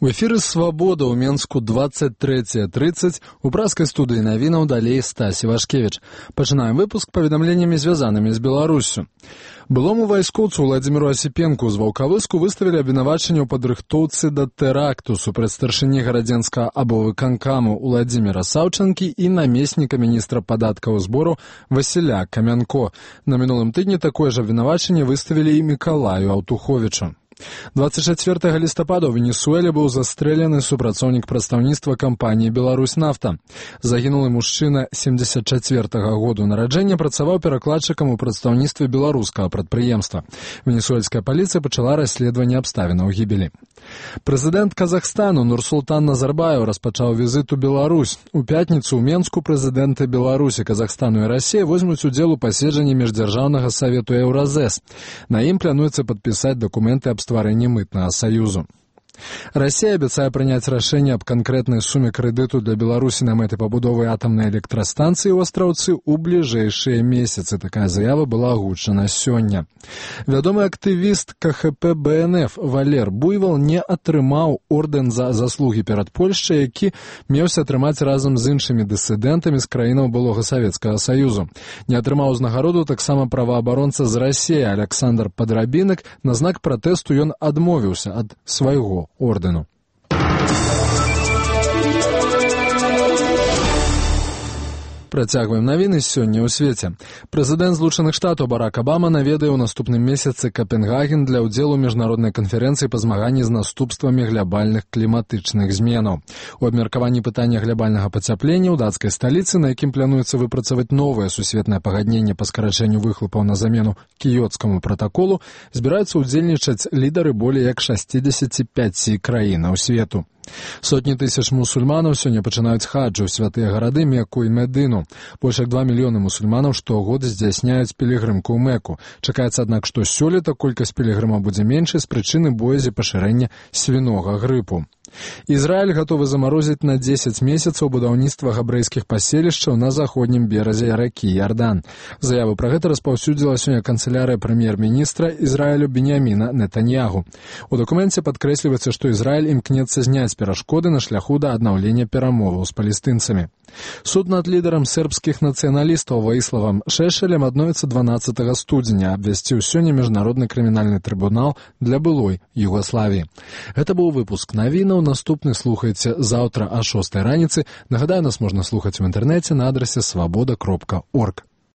У эфіры «Свабода» ў Менску 23:30. У праскай студыі навінаў далей Стась Івашкевіч. Пачынаем выпуск паведамленнямі, звязанымі з Беларуссю. Былому вайскоўцу Владзіміру Асіпенку з Ваўкавыску выставілі абвінавачанне ў падрыхтоўцы да тэракту супраць старшыні гарадзенскага абвыканкаму Уладзіміра Саўчанкі і намесніка міністра падаткаў і збору Васіля Камянко. На мінулым тыдні такое ж абвінавачанне выставілі і Мікалаю Аўтуховічу. 24 лістапада ў Венесуэле быў застрэлены супрацоўнік прадстаўніцтва кампаніі «Беларусь-нафта». Загінулы мужчына 74-го году нараджэння працаваў перакладчыкам у прадстаўніцтве беларускага прадпрыемства. Венесуэльская паліцыя пачала расследаванне абставінаў гібелі. Прэзідэнт Казахстану Нурсултан Назарбаев распачаў візіт у Беларусь. У пятніцу ў Менску прэзідэнты Беларусі, Казахстану і Расіі возьмуць удзел у паседжанні міждзяржаўнага савету Еўразэс. На ім плануецца падпісаць дакументы аб стварэнні мытнага саюзу. Расія абяцае прыняць рашэнне аб канкрэтнай суме крэдыту для Беларусі на мэты пабудовы атамнай электрастанцыі ў Астраўцы ў бліжэйшыя месяцы. Такая заява была агучана сёння. Вядомы актывіст КХП БНФ Валер Буйвал не атрымаў ордэн за заслугі перад Польшчай, які меўся атрымаць разам з іншымі дысідэнтамі з краінаў былога Савецкага Саюзу. Не атрымаў узнагароду таксама праваабаронца з Расіі Александр Падрабінак. На знак пратэсту ён адмовіўся ад свайго ордэну. Працягваем навіны сёння ў свеце. Прэзідэнт Злучаных Штатаў Барак Абама наведае ў наступным месяцы Капенгаген для ўдзелу ў міжнароднай канферэнцыі па змаганні з наступствамі глябальных кліматычных зменаў. У абмеркаванні пытання глябальнага пацяплення ў дацкай сталіцы, на якім плануецца выпрацаваць новае сусветнае пагадненне па скарачэнню выхлопаў на замену кіёцкаму пратаколу, збіраюцца ўдзельнічаць лідары болей як 65 краінаў свету. Сотні тысяч мусульманаў сёння пачынаюць хаджу ў святыя гарады Мекку і Медыну. Больш як 2 мільёны мусульманаў штогод здзяйсняюць пілігрымку ў Мекку. Чакаецца, аднак, што сёлета колькасць пілігрымаў будзе меншай з прычыны боязі пашырэння свінога грыпу. Ізраіль гатовы замарозіць на 10 месяцаў будаўніцтва габрэйскіх паселішчаў на заходнім беразе ракі Ярдан. Заяву пра гэта распаўсюдзіла сёння канцылярыя прэм'ер-міністра Ізраілю Беньяміна Нетаньягу. У дакуменце падкрэсліваецца, што Ізраіль імкнецца зняць перашкоды на шляху да аднаўлення перамоваў з палестынцамі. Суд над лідарам сербскіх нацыяналістаў Ваіславам Шешелем адновіцца 12 студзеня, абвясціў сёння міжнародны крымінальны трыбунал для былой Югаславіі. Гэта быў выпуск навінаў. Наступны слухайце заўтра о 6 раніцы. Нагадаю, нас можна слухаць у інтэрнэце на адрасе swaboda.org.